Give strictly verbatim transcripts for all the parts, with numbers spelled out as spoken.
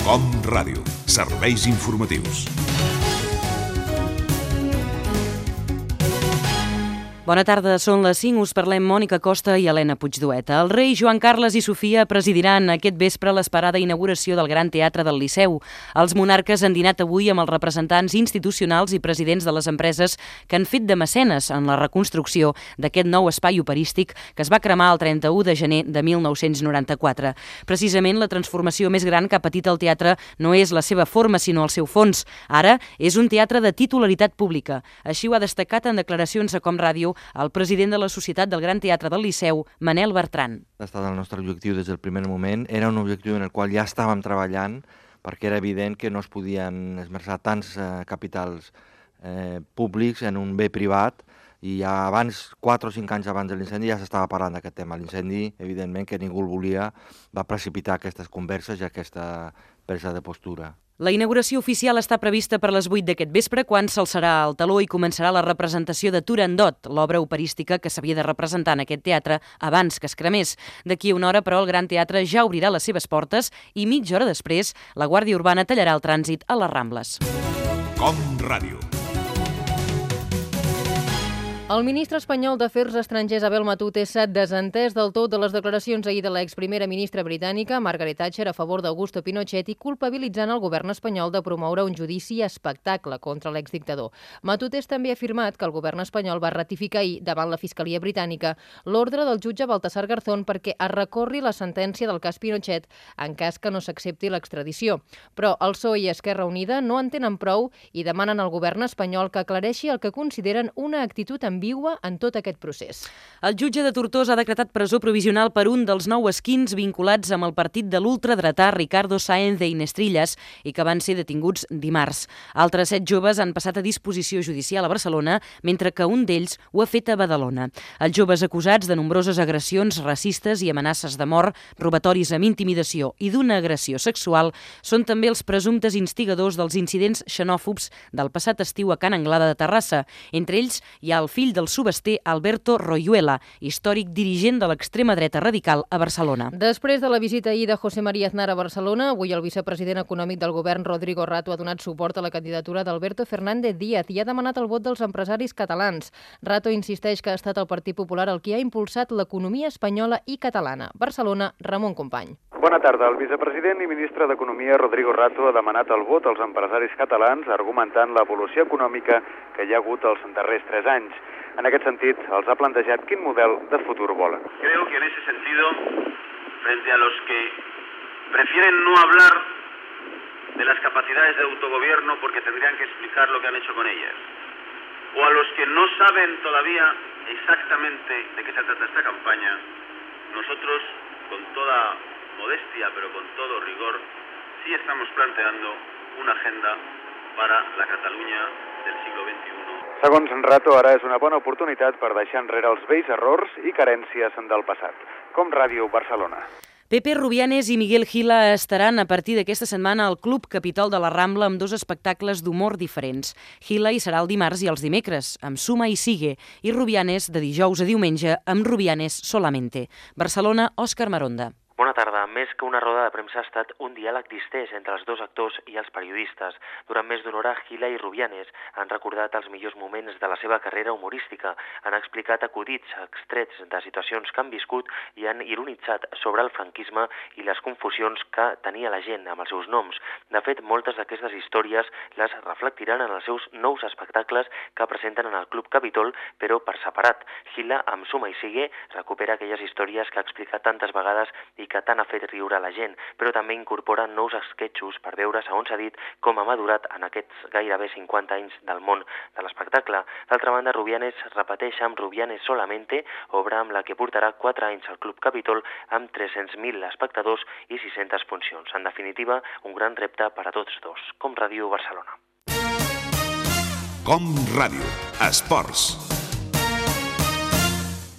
Com Ràdio, serveis informatius. Bona tarda, són les cinc, us parlem Mònica Costa i Helena Puigdueta. El rei Joan Carles i Sofia presidiran aquest vespre l'esperada inauguració del Gran Teatre del Liceu. Els monarques han dinat avui amb els representants institucionals i presidents de les empreses que han fet de mecenes en la reconstrucció d'aquest nou espai operístic que es va cremar el trenta-u de gener de mil nou-cents noranta-quatre. Precisament la transformació més gran que ha patit el teatre no és la seva forma, sinó el seu fons. Ara és un teatre de titularitat pública. Així ho ha destacat en declaracions a Com Ràdio el president de la Societat del Gran Teatre del Liceu, Manel Bertran. Ha estat el nostre objectiu des del primer moment. Era un objectiu en el qual ja estàvem treballant perquè era evident que no es podien esmerçar tants eh, capitals eh, públics en un bé privat i ja abans, quatre o cinc anys abans de l'incendi, ja s'estava parlant d'aquest tema. L'incendi, evidentment, que ningú el volia, va precipitar aquestes converses i aquesta presa de postura. La inauguració oficial està prevista per les vuit d'aquest vespre, quan s'alçarà el teló i començarà la representació de Turandot, l'obra operística que s'havia de representar en aquest teatre abans que es cremés. D'aquí a una hora, però, el Gran Teatre ja obrirà les seves portes i mitja hora després la Guàrdia Urbana tallarà el trànsit a les Rambles. Com Ràdio. El ministre espanyol d'Afers Estrangers, Abel Matute, s'ha desentès del tot de les declaracions ahir de l'exprimera ministra britànica, Margaret Thatcher, a favor d'Augusto Pinochet i culpabilitzant el govern espanyol de promoure un judici espectacle contra l'exdictador. Matute també ha afirmat que el govern espanyol va ratificar ahir, davant la Fiscalia britànica, l'ordre del jutge Baltasar Garzón perquè es recorri la sentència del cas Pinochet en cas que no s'accepti l'extradició. Però el P S O E i Esquerra Unida no en tenen prou i demanen al govern espanyol que aclareixi el que consideren una actitud ambigua en tot aquest procés. El jutge de Tortosa ha decretat presó provisional per un dels nou esquins vinculats amb el partit de l'ultradretà Ricardo Sáenz de Inestrillas i que van ser detinguts dimarts. Altres set joves han passat a disposició judicial a Barcelona, mentre que un d'ells ho ha fet a Badalona. Els joves acusats de nombroses agressions racistes i amenaces de mort, robatoris amb intimidació i d'una agressió sexual són també els presumptes instigadors dels incidents xenòfobs del passat estiu a Can Anglada de Terrassa. Entre ells hi ha el fill del subester Alberto Royuela, històric dirigent de l'extrema dreta radical a Barcelona. Després de la visita ahir de José María Aznar a Barcelona, avui el vicepresident econòmic del govern, Rodrigo Rato, ha donat suport a la candidatura d'Alberto Fernández Díaz i ha demanat el vot dels empresaris catalans. Rato insisteix que ha estat el Partit Popular el que ha impulsat l'economia espanyola i catalana. Barcelona, Ramon Company. Bona tarda. El vicepresident i ministre d'Economia, Rodrigo Rato, ha demanat el vot als empresaris catalans argumentant l'evolució econòmica que hi ha hagut els darrers tres anys. En aquest sentit, els ha plantejat quin model de futur volen. Creo que en ese sentido, frente a los que prefieren no hablar de las capacidades de autogobierno porque tendrían que explicar lo que han hecho con ellas, o a los que no saben todavía exactamente de qué se trata esta campaña, nosotros, con toda modestia, pero con todo rigor, sí estamos planteando una agenda para la Cataluña del siglo veintiuno. Segons Rato, ara és una bona oportunitat per deixar enrere els vells errors i carències del passat. Com Ràdio, Barcelona. Pepe Rubianes i Miguel Gila estaran a partir d'aquesta setmana al Club Capitol de la Rambla amb dos espectacles d'humor diferents. Gila hi serà el dimarts i els dimecres, amb Suma i Sigue, i Rubianes de dijous a diumenge amb Rubianes Solamente. Barcelona, Òscar Maronda. Bona tarda. Més que una roda de premsa ha estat un diàleg distès entre els dos actors i els periodistes. Durant més d'una hora, Gila i Rubianes han recordat els millors moments de la seva carrera humorística, han explicat acudits extrets de situacions que han viscut i han ironitzat sobre el franquisme i les confusions que tenia la gent amb els seus noms. De fet, moltes d'aquestes històries les reflectiran en els seus nous espectacles que presenten en el Club Capitol, però per separat. Gila, amb Suma i Sigue, recupera aquelles històries que ha explicat tantes vegades i que tant ha fet riure la gent, però també incorpora nous esquetxos per veure, segons s'ha dit, com ha madurat en aquests gairebé cinquanta anys del món de l'espectacle. D'altra banda, Rubianes repeteix amb Rubianes Solamente, obra amb la que portarà quatre anys al Club Capitol amb tres-cents mil espectadors i sis-centes funcions. En definitiva, un gran repte per a tots dos. Com Ràdio, Barcelona. Com Ràdio, esports.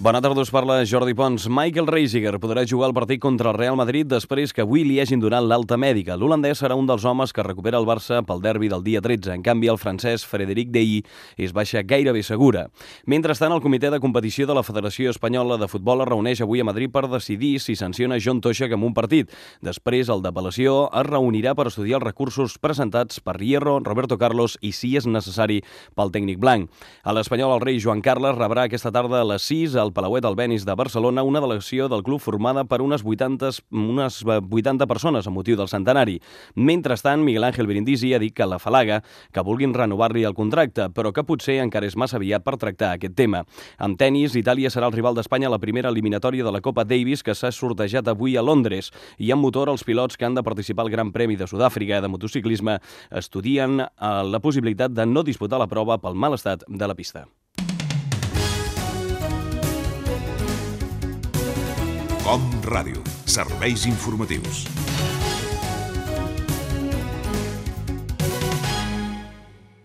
Bona tarda, us parla Jordi Pons. Michael Reisiger podrà jugar el partit contra el Real Madrid després que avui li hagin donat l'alta mèdica. L'holandès serà un dels homes que recupera el Barça pel derbi del dia tretze. En canvi, el francès Frédéric Dey és baixa gairebé segura. Mentrestant, el comitè de competició de la Federació Espanyola de Futbol es reuneix avui a Madrid per decidir si sanciona John Toshak amb un partit. Després, el d'apel·lació es reunirà per estudiar els recursos presentats per Hierro, Roberto Carlos i, si és necessari, pel tècnic blanc. A l'Espanyol, el rei Joan Carles rebrà aquesta tarda a les sis al Palauet Albéniz de Barcelona una delegació del club formada per unes vuitanta, unes vuitanta persones a motiu del centenari. Mentrestant, Miguel Ángel Brindisi ha dit que la falaga que vulguin renovar-li el contracte, però que potser encara és massa aviat per tractar aquest tema. En tenis, Itàlia serà el rival d'Espanya a la primera eliminatòria de la Copa Davis que s'ha sortejat avui a Londres. I en motor, els pilots que han de participar al Gran Premi de Sud-àfrica de motociclisme estudien la possibilitat de no disputar la prova pel mal estat de la pista. Com Ràdio, serveis informatius.